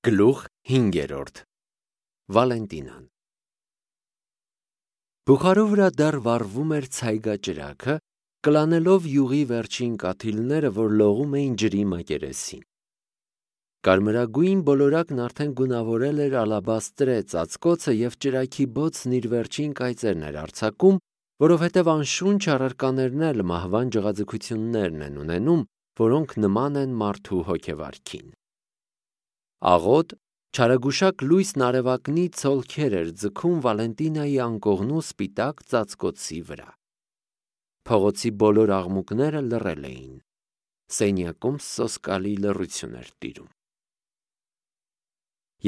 Գլուխ 5. Վալենտինան Բուխարու վրա դեռ վառվում էր ցայգաճրագը, կլանելով յուղի վերջին կաթիլները, որ լողում էին ջրի մակերեսին։ Կարմրագույն բոլորակն արդեն գունավորել էր ալաբաստրե ծածկոցը և ճրագի բոցն իր վերջին կայծերն էր արձակում, որովհետև անշունչ առարկաներն էլ մահվան ջղաձգություններն են ունենում, որոնք նման են մարդու հոգեվարքին։ Աղոտ, չարագուշակ լույսն արևակնի ցոլքեր էր ձգում Վալենտինայի անկողնու սպիտակ ծածկոցի վրա։ Փողոցի բոլոր աղմուկները լռել էին։ Սենյակում սոսկալի լռություն էր տիրում։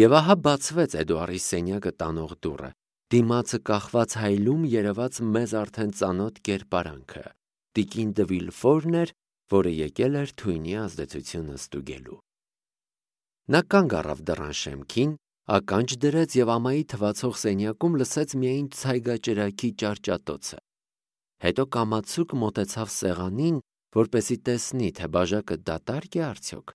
Եվ ահա բացվեց Էդուարի սենյակը տանող դուռը, դիմացը կախված հայլում երևաց մեզ արդեն ծանոթ կերպարանքը, տիկին դը Վիլֆորն էր, որը եկել էր թույնի ազդեցությունը ստուգելու։ Նա կանգ առավ դռան շեմքին, ականջ դրեց և ամայի թվացող սենյակում լսեց միայն ցայգաճրագի ճարճատոցը։ Հետո կամացուկ մոտեցավ սեղանին, որպեսզի տեսնի, թե բաժակը դատարկ է արդյոք։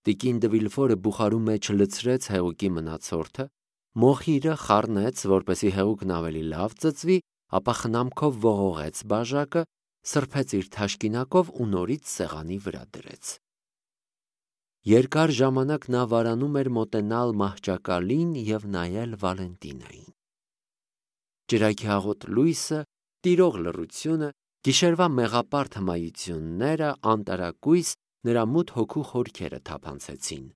Տիկին դը Վիլֆորը բուխարու մեջ լցրեց հեղուկի մնացորդը, մոխիրը խառնեց, որպեսզի հեղուկն ավելի լավ ծծվի, ապա խնամքով ողողեց բաժակը, սրբեց իր թաշկինակով ու նորից սեղանի վրա դրեց։ Երկար ժամանակ նա վարանում էր մոտենալ մահճակալին և նայել Վալենտինային։ Ճրագի աղոտ լույսը, տիրող լռությունը, գիշերվա մեղապարտ հմայությունները, անտարակույս նրա մութ հոգու խորքերը թափանցեցին։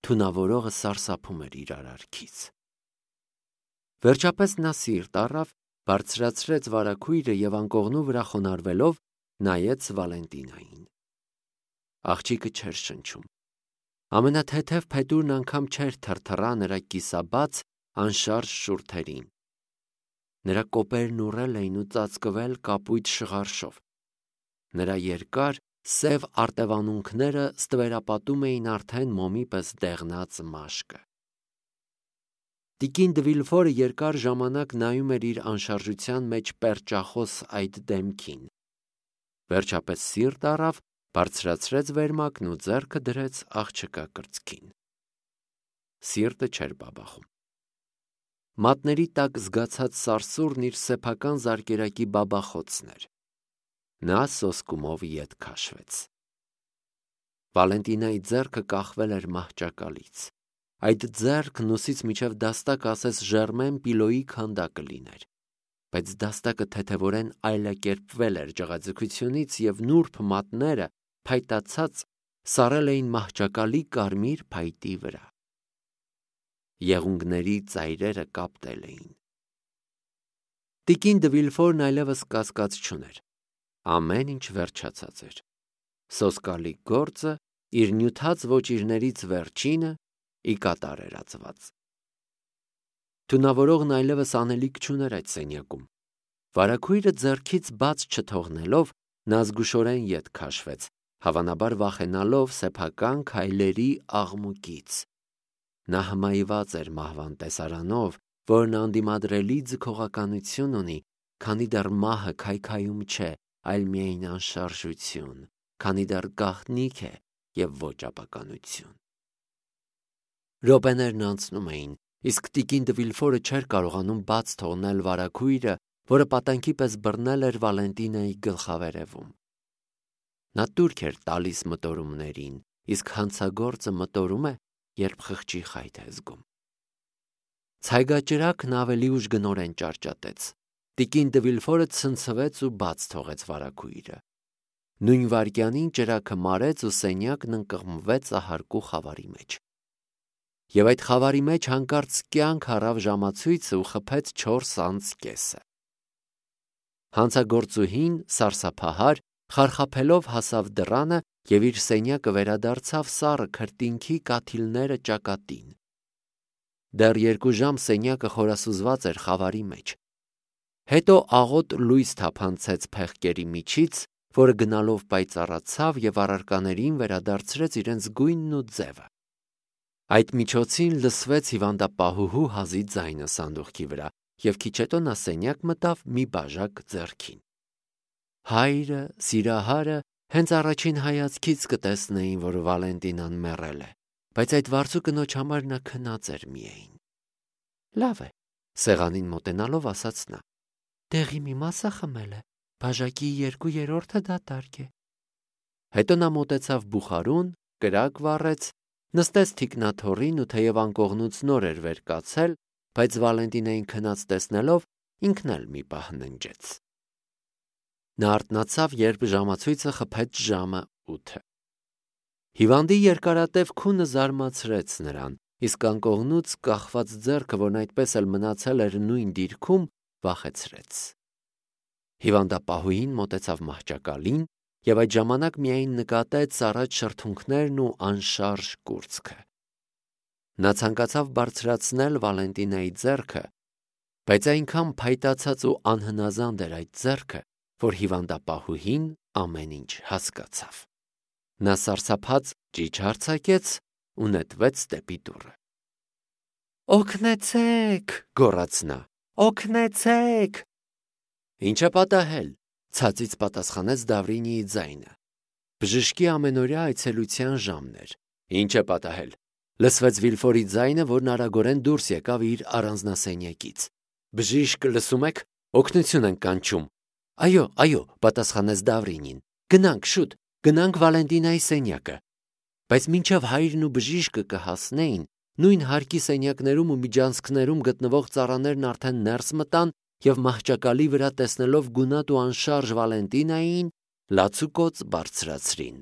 Թունավորողը սարսափում էր իր արարքից։ Վերջապես նա սիրտ առավ, բարձրացրեց վարագույրը և անկողնու վրա խոնարհվելով նայեց Վալենտինային։ Աղջիկը չէր շնչում։ Ամենաթեթև փետուրն անգամ չէր թրթռա նրա կիսաբաց, անշարժ շուրթերին։ Նրա կոպերն ուռել էին ու ծածկվել կապույտ շղարշով։ Նրա երկար, սև արտևանունքները ստվերապատում էին արդեն մոմի պես դեղնած մաշկը։ Տիկին դը Վիլֆորը երկար ժամանակ նայում էր իր անշարժության մեջ պերճախոս այդ դեմքին։ Վերջապես սիրտ առավ, բարձրացրեց վերմակն ու ձեռքը դրեց աղջկա կրծքին։ Սիրտը չէր բաբախում։ Մատների տակ զգացած սարսուռն իր սեփական զարկերակի բաբախոցն էր։ Նա սոսկումով ետ քաշվեց։ Վալենտինայի ձեռքը կախվել էր մահճակալից։ Այդ ձեռքն ուսից մինչև դաստակ ասես Ժերմեն Պիլոյի քանդակը լիներ։ Բայց դաստակը թեթևորեն այլակերպվել էր ջղաձգությունից և նուրբ մատները, փայտացած, սառել էին մահճակալի կարմիր փայտի վրա։ Եղունգների ծայրերը կապտել էին։ Տիկին դը Վիլֆորն այլևս կասկած չուներ։ Ամեն ինչ վերջացած էր։ Սոսկալի գործը, իր նյութած ոճիրներից վերջինը, ի կատար էր ածված։ Թունավորողն այլևս անելիք չուներ այդ սենյակում։ Վարագույրը ձեռքից բաց չթողնելով, նա զգուշորեն ետ քաշվեց, հավանաբար վախենալով սեփական քայլերի աղմուկից։ Նա հմայված էր մահվան տեսարանով, որն անդիմադրելի ձգողականություն ունի, քանի դեռ մահը քայքայում չէ, այլ միայն անշարժություն, քանի դեռ գաղտնիք է և ոչ ապականություն։ Րոպեներն անցնում էին, իսկ տիկին դը Վիլֆորը չէր կարողանում բաց թողնել վարագույրը, որը պատանքի պես բռնել էր Վալենտինայի գլխավերևում։ Նա տուրք էր տալիս մտորումներին, իսկ հանցագործը մտորում է, երբ խղճի խայթ է զգում։ Ցայգաճրագն ավելի ուժգնորեն ճարճատեց։ Տիկին դը Վիլֆորը ցնցվեց ու բաց թողեց վարագույրը։ Նույն վայրկյանին ճրագը մարեց ու սենյակն ընկղմվեց ահարկու խավարի մեջ։ Եվ այդ խավարի մեջ հանկարծ կյանք առավ ժամացույցը ու խփեց 4:30։ Հանցագործուհին, սարսափահար, խարխափելով հասավ դռանը և իր սենյակը վերադարձավ սառը քրտինքի կաթիլները ճակատին։ Դեռ 2 ժամ սենյակը խորասուզված էր խավարի մեջ։ Հետո աղոտ լույս թափանցեց փեղկերի միջից, որը գնալով պայծառացավ և առարկաներին վերադարձրեց իրենց գույնն ու ձևը։ Այդ միջոցին լսվեց հիվանդապահուհու հազի ձայնը սանդուղքի վրա, և քիչ հետո նա սենյակ մտավ մի բաժակ ձեռքին։ Հայրը, սիրահարը հենց առաջին հայացքից կտեսնեին, որ Վալենտինան մեռել է, բայց այդ վարձու կնոջ համար նա քնած էր միայն։ Լավ է, սեղանին մոտենալով ասաց նա, դեղի մի մասը խմել է, բաժակի 2/3-ը դատարկ է։ Հետո նա մոտեցավ բուխարուն, կրակ վառեց, նստեց թիկնաթոռին ու թեև անկողնուց նոր էր վեր կացել, բայց Վալենտինային քնած տեսնելով ինքն էլ մի պահ ննջեց։ Նա արթնացավ, երբ ժամացույցը խփեց ժամը 8։ Հիվանդի երկարատև քունը զարմացրեց նրան, իսկ անկողնուց կախված ձեռքը, որն այդպես էլ մնացել էր նույն դիրքում, վախեցրեց։ Հիվանդապահուհին մոտեցավ մահճակալին և այդ ժամանակ միայն նկատեց առաջ շրթունքներն ու անշարժ կուրծքը։ Նա ցանկացավ բարձրացնել Վալենտինայի ձեռքը, բայց այնքան փայտացած ու անհնազանդ էր այդ ձեռքը, որ հիվանդապահուհին ամեն ինչ հասկացավ։ Նա սարսափած ճիչ հարձակեց ու նետվեց դեպի դուռը։ «Օգնեցե՛ք», գոռաց նա, «օգնեցե՛ք»։ «Ինչ է պատահել», ցածից պատասխանեց Դավրինիի ձայնը։ Բժշկի ամենօրյա այցելության ժամն էր։ «Ինչ է պատահել», լսվեց Վիլֆորի ձայնը, որն արագորեն դուրս եկավ իր առանձնասենյակից։ «Բժիշկ, լսում եք, օգնություն ենք կանչում»։ Այո, պատասխանեց Դավրինին։ Գնանք, շուտ, գնանք Վալենտինայի սենյակը։ Բայց մինչև հայրն ու բժիշկը կհասնեին, նույն հարկի սենյակներում ու միջանցքներում գտնվող ծառաներն արդեն ներս մտան և մահճակալի վրա տեսնելով գունատ ու անշարժ Վալենտինային, լացուկոծ բարձրացրին։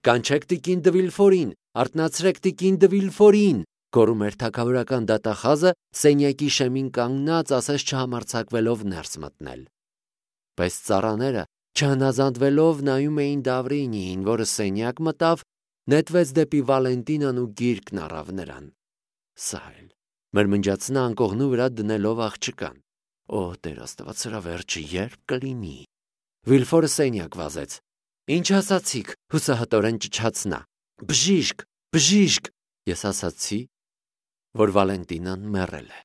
«Կանչեք տիկին դը Վիլֆորին, արթնացրեք տիկին դը Վիլֆորին», գոռում էր թագավորական դատախազը, սենյակի շեմին կանգնած, ասես չհամարձակվելով ներս մտնել։ Բայց ծառաները, չհնազանդվելով, նայում էին Դավրինիին, որը սենյակ մտավ, նետվեց դեպի Վալենտինան ու գիրկն առավ նրան։ Սա էլ, մրմնջաց նա անկողնու վրա դնելով աղջկան։ Օ, Տեր Աստված, սրա վերջը երբ կլինի։ Վիլֆորը սենյակ վազեց։ Ինչ ասացիք, հուսահատորեն ճչաց նա։ Բժիշկ, ես ասացի, որ Վալենտինան մեռել է։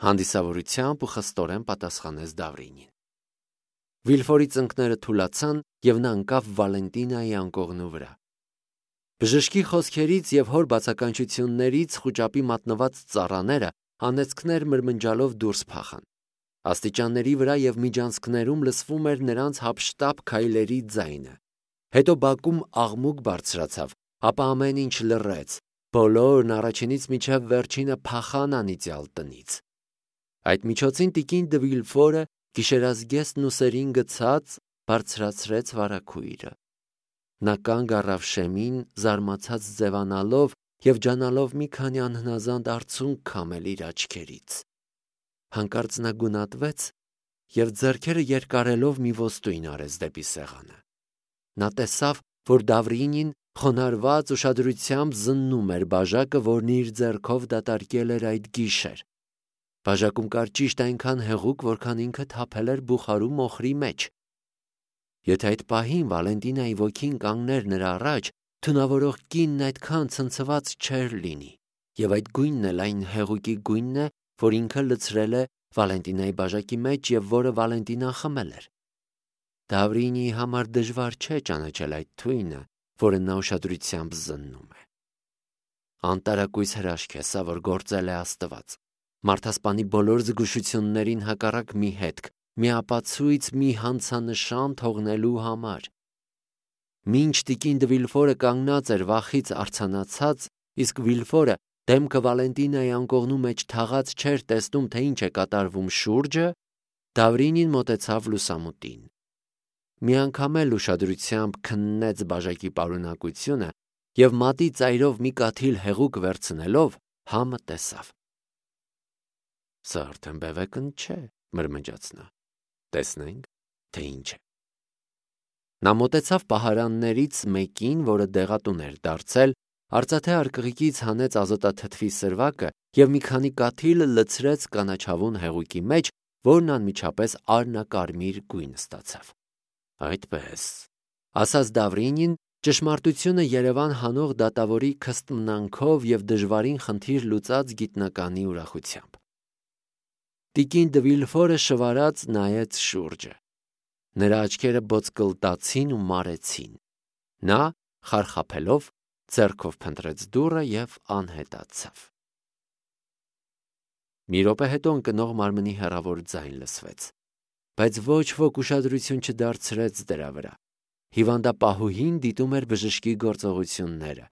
Հանդիսավորությամբ ու խստորեն պատասխանեց Դավրինին։ Վիլֆորի ծնկները թուլացան և նա ընկավ Վալենտինայի անկողնու վրա։ Բժշկի խոսքերից և հոր բացականչություններից խուճապի մատնված ծառաները անեծքներ մրմնջալով դուրս փախան։ Աստիճանների վրա և միջանցքներում լսվում էր նրանց հափշտապ քայլերի ձայնը։ Հետո բակում աղմուկ բարձրացավ, ապա ամեն ինչ լռեց, բոլորն առաջինից մինչև վերջինը փախան անիծյալ տնից։ Այդ միջոցին տիկին դը Վիլֆորը, գիշերազգեստն ուսերին գցած, բարձրացրեց վարագույրը։ Նա կանգ առավ շեմին, զարմացած ձևանալով և ջանալով մի քանի անհնազանդ արցունք քամել իր աչքերից։ Հանկարծ նա գունատվեց և ձեռքերը երկարելով մի ոստույն արեց դեպի սեղանը։ Նա տեսավ, որ Դավրինին խոնարհված ուշադրությամբ զննում էր բաժակը, որն իր ձեռքով դատարկել էր այդ գիշեր։ Բաժակում կար ճիշտ այնքան հեղուկ, որքան ինքը թափել էր բուխարու մոխրի մեջ։ Եթե այդ պահին Վալենտինայի ոգին կանգներ նրա առաջ, թունավորող կինն այդքան ցնցված չէր լինի, և այդ գույնն էլ այն հեղուկի գույնն է, որ ինքը լցրել է Վալենտինայի բաժակի մեջ և որը Վալենտինան խմել էր։ Դավրինիի համար դժվար չէ ճանաչել այդ թույնը, որը նա ուշադրությամբ զննում է։ Անտարակույս հրաշք է սա, որ գործել է Աստված։ Մարդասպանի բոլոր զգուշություններին հակառակ մի հետք, մի ապացույց, մի հանցանշան թողնելու համար։ Մինչ տիկին դը Վիլֆորը կանգնած էր վախից արձանացած, իսկ Վիլֆորը դեմքը Վալենտինայի անկողնու մեջ թաղած չէր տեսնում, թե ինչ է կատարվում շուրջը, Դավրինին մոտեցավ լուսամուտին։ Մի անգամ էլ ուշադրությամբ քննեց բաժակի պարունակությունը և մատի ծայրով մի կաթիլ հեղուկ վերցնելով համը տեսավ։ Սա արդեն բևեկն չէ, մրմնջաց նա։ Տեսնենք, թե ինչ է։ Նա մոտեցավ պահարաններից մեկին, որը դեղատուն էր դարձել, արծաթե արկղիկից հանեց ազոտաթթվի սրվակը և մի քանի կաթիլ լցրեց կանաչավուն հեղուկի մեջ, որն անմիջապես արնակարմիր գույն ստացավ։ Այդպես, ասաց Դավրինին, ճշմարտությունը Երևան հանող դատավորի քստմնանքով և դժվարին խնդիր լուծած գիտնականի ուրախությամբ։ Տիկին դը Վիլֆորը շվարած նայեց շուրջը։ Նրա աչքերը բոցկլտացին ու մարեցին։ Նա, խարխափելով, ձեռքով փնտրեց դուռը և անհետացավ։ Մի րոպե հետո ընկնող մարմնի հեռավոր ձայն լսվեց, բայց ոչ ոք ուշադրություն չդարձրեց դրա վրա։ Հիվանդապահուհին դիտում էր բժշկի գործողությունները։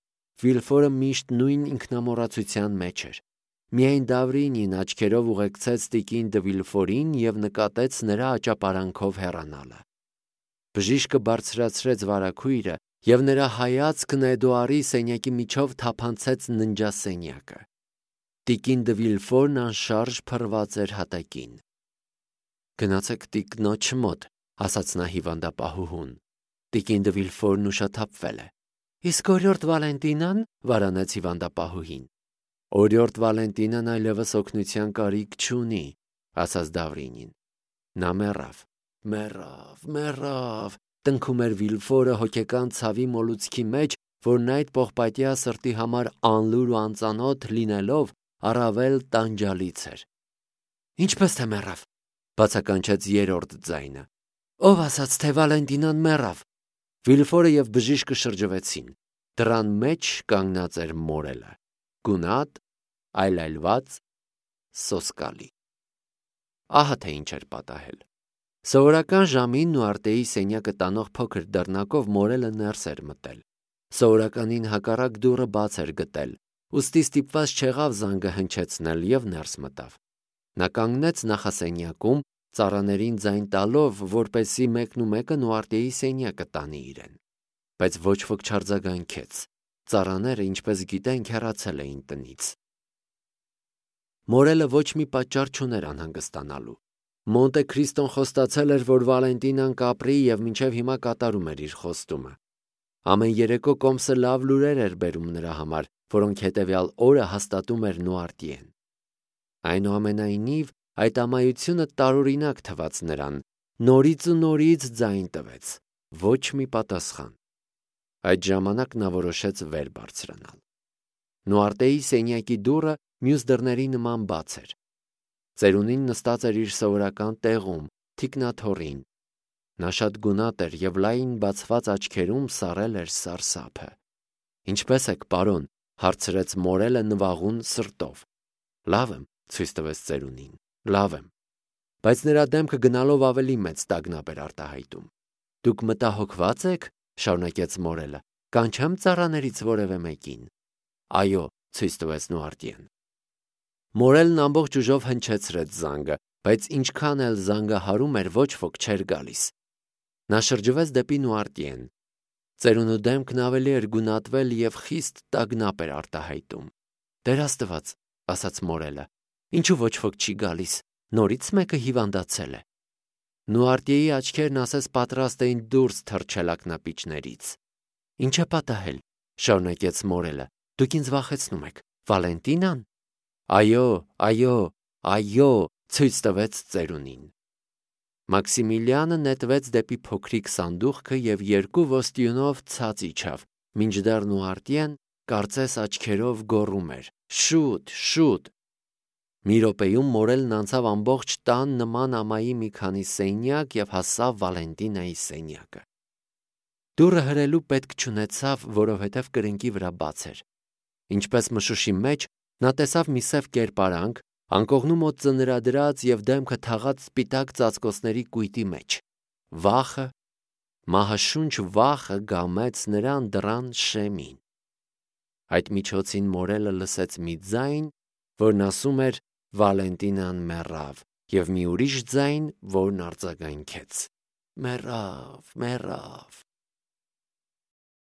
Վիլֆորը միշտ նույն ինքնամոռացության մեջ էր։ Միայն Դավրինին աչքերով ուղեկցեց տիկին դը Վիլֆորին և նկատեց նրա աճապարանքով հեռանալը։ Բժիշկը բարձրացրեց վարագույրը և նրա հայացքն Էդուարի սենյակի միջով թափանցեց ննջասենյակը։ Տիկին դը Վիլֆորն անշարժ փռված էր հատակին։ «Գնացեք տիկնոջ մոտ», ասաց նա հիվանդապահուհուն։ Տիկին դը Վիլֆորն ուշաթափվել է։ «Իսկ օրիորդ Վալենտինան», վարանեց հիվանդապահուհին։ «Օրիորդ Վալենտինան այլևս օգնության կարիք չունի», ասաց Դավրինին։ Նա մեռավ, տնքում էր Վիլֆորը հոգեկան ցավի մոլուցքի մեջ, որն այդ պողպատյա սրտի համար անլուր ու անծանոթ լինելով առավել տանջալից էր։ «Ինչպես թե մեռավ», բացականչեց երրորդ ձայնը։ «Ով ասաց, թե Վալենտինան մեռավ»։ Վիլֆորը և բժիշկը շրջվեցին։ Դռան մեջ կանգնած էր մորելը, գունատ, այլայլված, սոսկալի։ Ահա թե ինչ էր պատահել։ Սովորական ժամին Նուարտեի սենյակը տանող փոքր դռնակով մորելը ներս էր մտել։ Սովորականին հակառակ դուռը բաց էր գտել, ուստի ստիպված չեղավ զանգը հնչեցնել և ներս մտավ։ Նա կանգնեց նախասենյակում, ծառաներին ձայն տալով, որպեսզի մեկնումեկը Նուարտեի սենյակը տանի իրեն։ Բայց ոչ ոք չարձագանքեց։ Ծառաները, ինչպես գիտենք, հեռացել էին տնից։ Մորելը ոչ մի պատճառ չուներ անհանգստանալու։ Մոնտե Քրիստոն խոստացել էր, որ Վալենտինան կապրի և մինչև հիմա կատարում էր իր խոստումը։ Ամեն երեկո Կոմսը լավ լուրեր էր բերում նրա համար, որոնք հետևյալ օրը հաստատում էր Նուարտիեն։ Այնուամենայնիվ, այդ ամայությունը տարօրինակ թվաց նրան, նորից ու նորից ձայն տվեց, ոչ մի պատասխան։ Այդ ժամանակ նա որոշեց վեր բարձրանալ։ Նուարտեի սենյակի դուռը մյուս դռների նման բաց էր։ Ծերունին նստած էր իր սովորական տեղում, թիկնաթոռին։ Նա շատ գունատ էր և լայն բացված աչքերում սառել էր սարսափը։ «Ինչպե՞ս եք, պարոն», հարցրեց մորելը նվաղուն սրտով։ «Լավ եմ», ցույց տվեց ծերունին, «լավ եմ»։ Բայց նրա դեմքը գնալով ավելի մեծ տագնապ էր արտահայտում։ «Դուք մտահոգված եք», շարունակեց մորելը, «կանչեմ ծառաներից որևէ մեկին»։ «Այո», ցույց տվեց Նուարտիեն։ Մորելն ամբողջ ուժով հնչեցրեց զանգը, բայց ինչքան էլ զանգը հարում էր, ոչ ոք չէր գալիս։ Նա շրջվեց դեպի Նուարտիեն։ Ծերունու դեմքն ավելի էր գունատվել և խիստ տագնապ էր արտահայտում։ «Տեր Աստված», ասաց մորելը, «ինչու ոչ ոք չի գալիս, նորից մեկը հիվանդացել է»։ Նուարտիեի աչքերն ասես պատրաստ էին դուրս թռչել ակնապիճներից։ «Ինչ է պատահել», շարունակեց մորելը, «դուք ինձ վախեցնում եք, Վալենտինան»։ Այո, ցույց տվեց ծերունին։ Մաքսիմիլիանը նետվեց դեպի փոքրիկ սանդուղքը և երկու ոստիյունով ցած իջավ, մինչդեռ Նուարտիեն կարծես աչքերով գոռում էր. «Շուտ, շուտ»։ Մի րոպեում մորելն անցավ ամբողջ տան նման ամայի մի քանի սենյակ և հասավ Վալենտինայի սենյակը։ Դուռը հրելու պետք չունեցավ, որովհետև կրկնակի վրա բաց էր։ Ինչպես մշուշի մեջ, նա տեսավ մի սև կերպարանք, անկողնու մոտ ծնրադրած և դեմքը թաղած սպիտակ ծածկոցների կույտի մեջ։ Վախը, մահաշունչ վախը գամեց նրան դռան շեմին։ Այդ միջոցին մորելը լսեց մի ձայն, որն ասում էր «Վալենտինան մեռավ» և մի ուրիշ ձայն, որն արձագանքեց. «Մեռավ»։